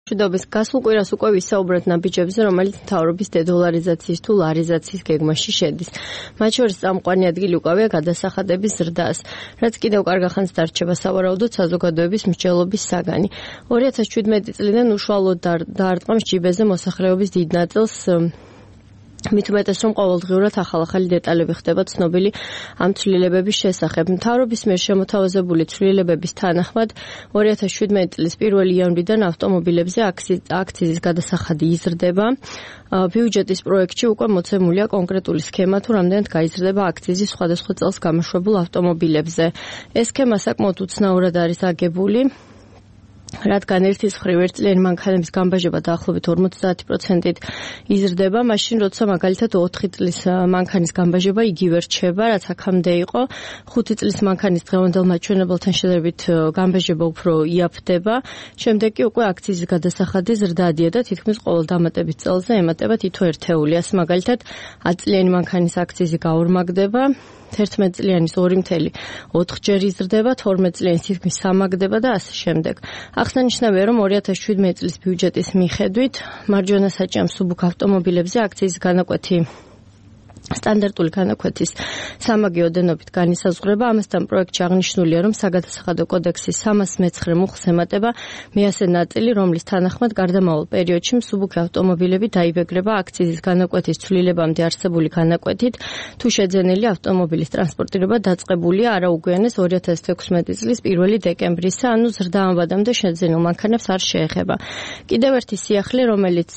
მშვიდობის გასულ კვირას უკვე ვისაუბრეთ ნაბიჯებზე, რომელიც მთავრობის დედოლარიზაციის თუ ლარიზაციის გეგმაში შედის. მათ შორის წამყვანი ადგილი უკავია გადასახადების ზრდას, რაც კიდევ კარგ ახანს დარჩება სავარაუდოდ საზოგადოების მსჯელობის საგანი. 2017 წლიდან უშუალოდ დაარტყამს ჯიბეზე მოსახლეობის დიდ ნაწილს. მით უმეტეს რომ ყოველდღიურად ახალ-ახალი დეტალები ხდება ცნობილი ამ ცვლილებების შესახებ. მთავრობის მიერ შემოთავაზებული ცვლილებების თანახმად 2017 წლის 1 იანვრიდან ავტომობილებზე აქციზის გადასახადი იზრდება. ბიუჯეტის პროექტში უკვე მოცემულია კონკრეტული სქემა თუ რამდენად გაიზრდება აქციზი სხვადასხვა წელს გამოშვებულ ავტომობილებზე. ეს სქემა საკმაოდ უცნაურად არის აგებული. რადგან ერთის მხრივ ერთწლიანი მანქანების გამბაჟება დაახლოებით 50%-ით იზრდება, მაშინ როცა მაგალითად 4 წლის მანქანის გამბაჟება იგივე რჩება, რაც აქამდე იყო. 5 წლის მანქანის დღევანდელ მაჩვენებელთან შედარებით გამბაჟება უფრო იაფდება. შემდეგ კი უკვე აქციზის გადასახადი ზრდადია და თითქმის ყოველ დამატების წელზე ემატება თითო ერთეული. ასე მაგალითად 10 წლიანი მანქანის აქციზი გაორმაგდება. 11 წლიანის 2.4 ჯერ იზრდება, 12 წლიანის თითქმის 3-აგდება და ასე შემდეგ. აღსანიშნავია, რომ 2017 წლის ბიუჯეტის მიხედვით მარჯვენა საჭიამ მსუბუქ ავტომობილებზე აქციზის განაკვეთი სტანდარტული განაკვეთის სამაგე ოდენობით განისაზღვრება. ამასთან პროექტში აღნიშნულია, რომ საგადასახადო კოდექსის 309 მუხლს ემატება მეასე ნაწილი, რომლის თანახმად გარდამავალ პერიოდში მსუბუქი ავტომობილები დაიბეგრება აქციზის განაკვეთის ცვლილებამდე არსებული განაკვეთით, თუ შეძენილი ავტომობილის ტრანსპორტირება დაწყებულია არა უგვიანეს 2016 წლის 1 დეკემბრისა, ანუ ზრდა ამ ვადამდე შეძენილ მანქანებს არ შეეხება. კიდევ ერთი სიახლე, რომელიც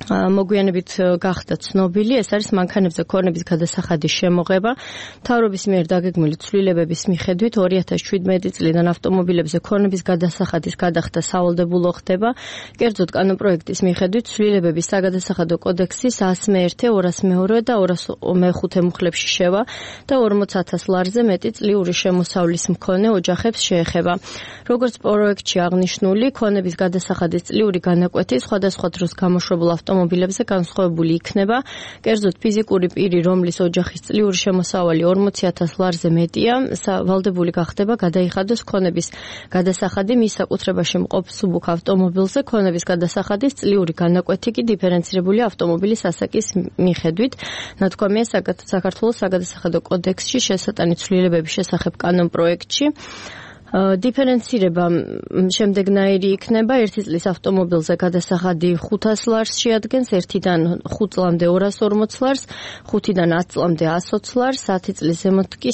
მოგვიანებით გახდა ცნობილი, ეს არის მანქანებზე ქონების გადასახადის შემოღება. მთავრობის მიერ დაგეგმილი ცვლილებების მიხედვით 2017 წლიდან ავტომობილებზე ქონების გადასახადის გადახდა სავალდებულო ხდება. კერძოდ კანონპროექტის მიხედვით ცვლილებების საგადასახადო კოდექსის 101, 202 და 205 მუხლებში შევა და 40,000 ლარზე მეტი წლიური შემოსავლის მქონე ოჯახებს შეეხება. როგორც პროექტში აღნიშნული, ქონების გადასახადის წლიური განაკვეთი სხვადასხვა დროს გამოშვებულ ავტომობილებზე განსხვავებული იქნება. კერძოდ ფიზიკური პირი, რომლის ოჯახის წლიური შემოსავალი 40,000 ლარზე მეტია, ვალდებული გახდება გადაიხადოს ქონების გადასახადი მის საკუთრებაში მყოფ მსუბუქ ავტომობილზე. ქონების გადასახადის წლიური განაკვეთი კი დიფერენცირებული ავტომობილის ასაკის მიხედვით. ნათქვამია საქართველოს საგადასახადო კოდექსში შესატანი ცვლილებების შესახებ კანონპროექტში. დიფერენცირება შემდეგნაირი იქნება. 1 წლის ავტომობილზე გადასახადი 500 ლარს შეადგენს, 1-დან 5 წლამდე 240 ლარს, 5-დან 10 წლამდე 120 ლარს, 10 წლის ზემოთ კი